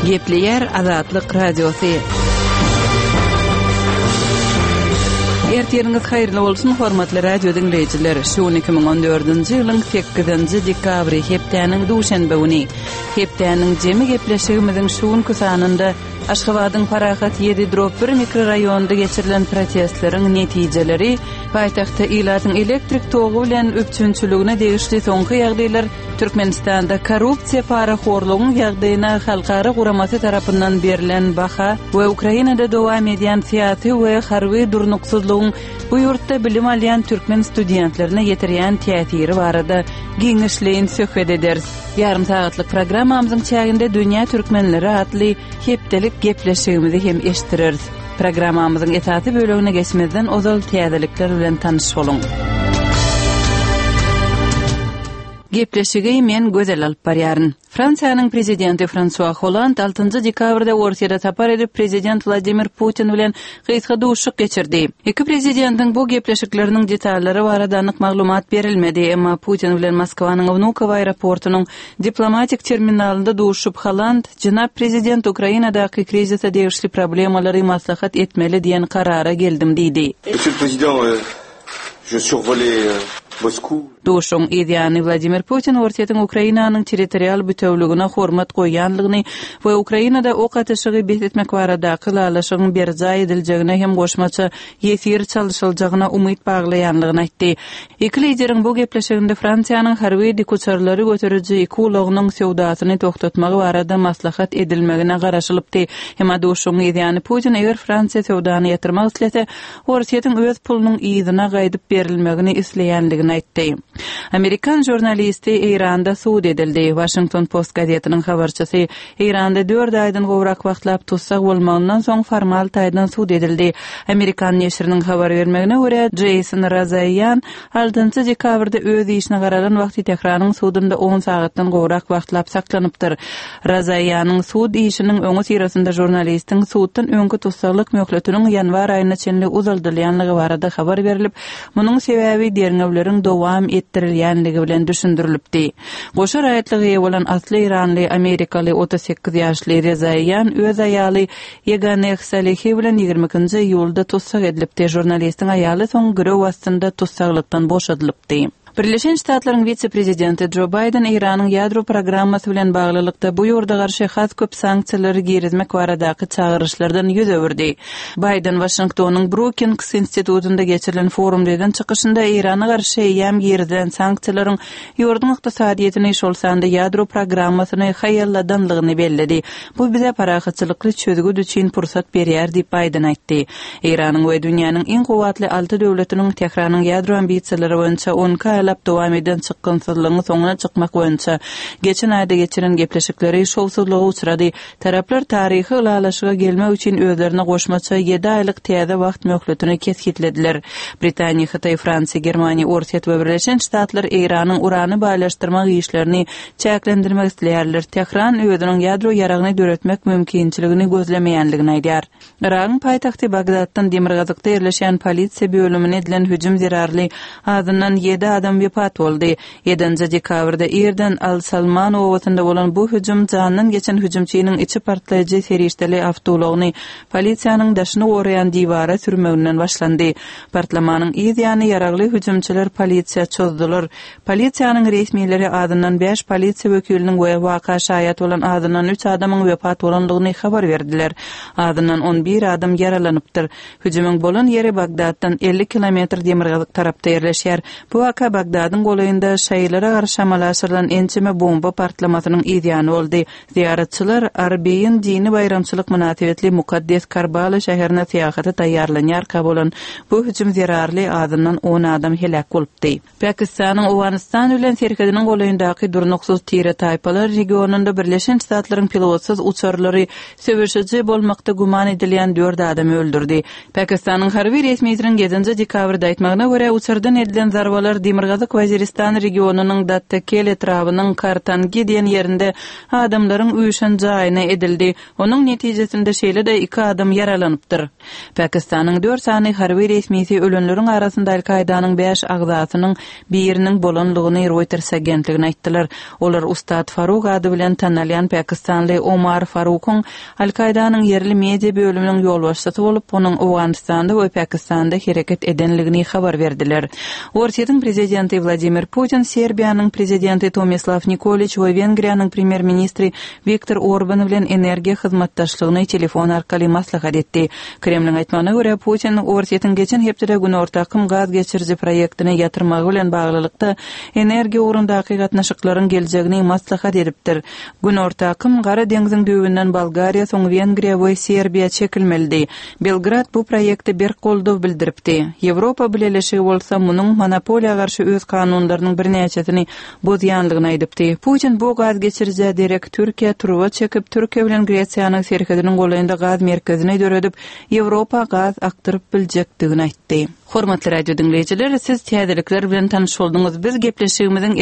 Gepleýär Azatlyk Radiosy. Ertiriňiz haýyrly bolsun, hormatly radio diňleýjiler! Şu gün 2014-nji ýylyň 8-nji dekabry, hepdäniň duşenbe güni. Hepdäniň jemi gepleşigimiziň şu günki sanynda Aşgabadyň Parahat ýedi drop bir mikroraýonynda geçirilen protestleriň netijeleri, paýtagtda ilatyň elektrik togy bilen üpjünçiligine degişli soňky ýagdaýlar, Türkmenistanda korrupsiýa parahorlugyň ýagdaýyna halkara guramasy tarapyndan berlen baha we Ukrainada dowam edýän syýasy we harby durnuksyzlygyň bu ýurtda bilim alýan türkmen studentlerine ýetirýän täsiri barada giňişleýin söhbet ederis. Ýarym sagatlyk programmamyzyň çäginde Dünýä türkmenleri atly hepdelik gepleşigimizi hem eşitdireris. Programmamyzyň esasy bölegine geçmezden ozal täzelikler bilen tanyş boluň. Gepleşigi men Gözel alyp barýaryn. Fransiýanyň prezidenti Fransua Holland altynjy dekabrda Orsýete sapar edip, prezident Wladimir Putin bilen gysga duşuşyk geçirdi. Iki prezidentiň bu gepleşikleriniň detallary barada anyk maglumat berilmedi, emma Putin bilen Moskwanyň Wnukowo aeroportunyň diplomatik terminalynda duşup, Holland, Jenap prezident, Ukrainadaky krizise degişli problemalary maslahat etmeli diýen karara geldim diýdi. Monsieur le Président, je survolais Moscou. Duşuşygyň yz ýany Wladimir Putin Orsýetiň Ukrainanyň territorial bütewligine hormat goýýanlygyny we Ukrainada ok atyşygy bes etmek baradaky ylalaşygyň berjaý ediljegine hem goşmaça ýesir çalşyljagyna umyt baglaýanlygyny aýtdy. Iki lideriň bu gepleşiginde Fransiýanyň harby dikuçarlary göteriji iki ulagynyň söwdasyny togtatmagy barada maslahat edilmegine garaşylypdy. Emma duşuşygyň yz ýany Putin eger Fransiýa söwdany ýatyrmak islese, Orsýetiň öz pulunyň yzyna gaýdyp berilmegini isleýändigini aýtdy. Amerikan žurnalisti Eýranda sud edildi. Washington Post gazetiniň habarçysy Eýranda dört aýdan gowrak wagtlap tussag bolmagyndan soň formal taýdan sud edildi. Amerikan neşiriniň habar bermegine görä, Jeýson Razaýan altynjy dekabrda öz işine garalan wagty Tähranyň sudunda on sagatdan gowrak wagtlap saklanypdyr. Razaýanyň sud işiniň öňüsyrasynda žurnalistiň suddan öňki tussaglyk möhletiniň ýanwar aýyna çenli uzaldylýanlygy barada habar berlip, munuň sebäbi derňewleriň dowam etdirilýänligi bilen düşündirilipdi. Goşa raýatlyga eýe bolan asly eýranly amerikaly 38 ýaşly Rezaýan öz aýaly Ýeganeh Salehi bilen 22-nji iýulda tussag edilipdi. Žurnalistiň aýaly soň girew astynda tussaglykdan boşadylypdy. Birleşen Ştatlaryň wise-prezidenti Jo Baýden Eýranyň ýadro programmasy bilen baglylykda bu ýurda garşy has köp sanksiýalary girizmek baradaky çagyryşlardan ýüz öwürdi. Baýden Waşingtonyň Brukings institutynda geçirilen forumda eden çykyşynda Eýrana garşy eýýäm girizilen sanksiýalaryň ýurduň ykdysadyýetini, şol sanda ýadro programmasyny haýalladanlygyny belledi. Bu bize parahatçylykly çözgüt üçin pursat berýär diýip, Baýden aýtdy. Eýranyň we dünýäniň iň kuwwatly alty döwletiniň Tähranyň ýadro ambisiýalary boýunça on iki aýlap dowam eden çykgynsyzlygyň soňuna çykmak boýunça geçen aýda geçiren gepleşikleri şowsuzlyga uçrady. Taraplar taryhy ylalaşyga gelmek üçin özlerine goşmaça ýedi aýlyk täze wagt möhletini kesgitlediler. Britaniýa, Hytaý, Fransiýa, Germaniýa, Orsýet we Birleşen Ştatlar Eýranyň urany baýlaşdyrmak işlerini çäklendirmek isleýärler. Tähran özüniň ýadro ýaragyny döretmek mümkinçiligini gözlemeýändigini aýdýar. Yragyň paýtagty Bagdatdan demirgazykda ýerleşýän polisiýa bölümine edilen hüjüm zerarly azyndan ýedi adam wepat boldy. Ýedinji dekabrda irden Al-Salman obasynda bolan bu hüjüm jandan geçen hüjümçiniň içi partlaýjy serişdeli awtoulagyny polisiýanyň daşyny goraýan diwara sürmeginden başlandy. Partlamanyň yz ýany ýaragly hüjümçiler polisiýa çozdular. Polisiýanyň resmileri azyndan bäş polisiýa wekiliniň we waka şaýat bolan azyndan üç adamyň wepat bolandygyny habar berdiler. Azyndan on bir adam ýaralanypdyr. Hüjümiň bolan ýeri Bagdatdan 50 kilometr demirgazyk tarapda ýerleşýär. Bu waka Bagdadyň golaýynda şaýylara garşy amala aşyrylan ençeme bomba partlamasynyň yzýany boldy. Zyýaratçylar Arbeýin dini baýramçylyk mynasybetli mukaddes Karbala şäherine syýahata taýýarlanýarka bolan bu hüjüm zerarly azyndan on adam heläk bolupdy. Pakistanyň Owganystan bilen serhediniň golaýyndaky durnuksyz tire-taýpalar regionynda Birleşen Ştatlaryň pilotsyz uçarlary söweşiji bolmakda güman edilýän dört adamy öldürdi. Pakistanyň harby resmisiniň ýedinji dekabrda aýtmagyna görä, uçardan edilen zarbalar demirgazyk. Demirgazyk Waziristan regionynyň Dattakel etrabynyň Kartangi diýen ýerinde adamlaryň üýşen jaýyna edildi. Onuň netijesinde şeýle-de iki adam ýaralanypdyr. Pakistanyň dört sany harby resmisi ölenleriň arasynda Al-Kaýdanyň bäş agzasynyň biriniň bolanlygyny Reuters agentligine aýtdylar. Olar Ustad Faruk ady bilen tanalýan pakistanly Omar Farukyň Al-Kaýdanyň ýerli media bölüminiň ýolbaşçysy bolup, onuň Owganystanda we Pakistanda hereket edenligini habar berdiler. Orsýetiň prezidenti Wladimir Putin Serbiýanyň prezidenti Tomislaw Nikoliç we Wengriýanyň premýer-ministri Wiktor Orban bilen energiýa hyzmatdaşlygyny telefon arkaly maslahat etdi. Kremliň aýtmagyna görä, Putin Orsýetiň geçen hepdede Günorta akym gaz geçiriji proýektini ýatyrmagy bilen baglylykda, energiýa ugrundaky gatnaşyklaryň geljegini maslahat edipdir. Günorta akym Gara deňziň düýbünden Bolgariýa, soň Wengriýa we Serbiýa çekilmelidi. Belgrad bu proýekte berk goldaw bildiripdi. Ýewropa Bileleşigi bolsa munuň monopoliýa garşy öz kanunlarynyň birnäçesini bozýanlygyny aýdypdy. Putin bu gaz geçirijä derek Türkiýä turba çekip, Türkiýe bilen Gresiýanyň serhediniň golaýynda gaz merkezini döredip, Ýewropa gaz akdyryp biljekdigini aýtdy. Hormatly radio diňleýjiler, siz täzelikler bilen tanyş bolduňyz. Biz gepleşigimiziň.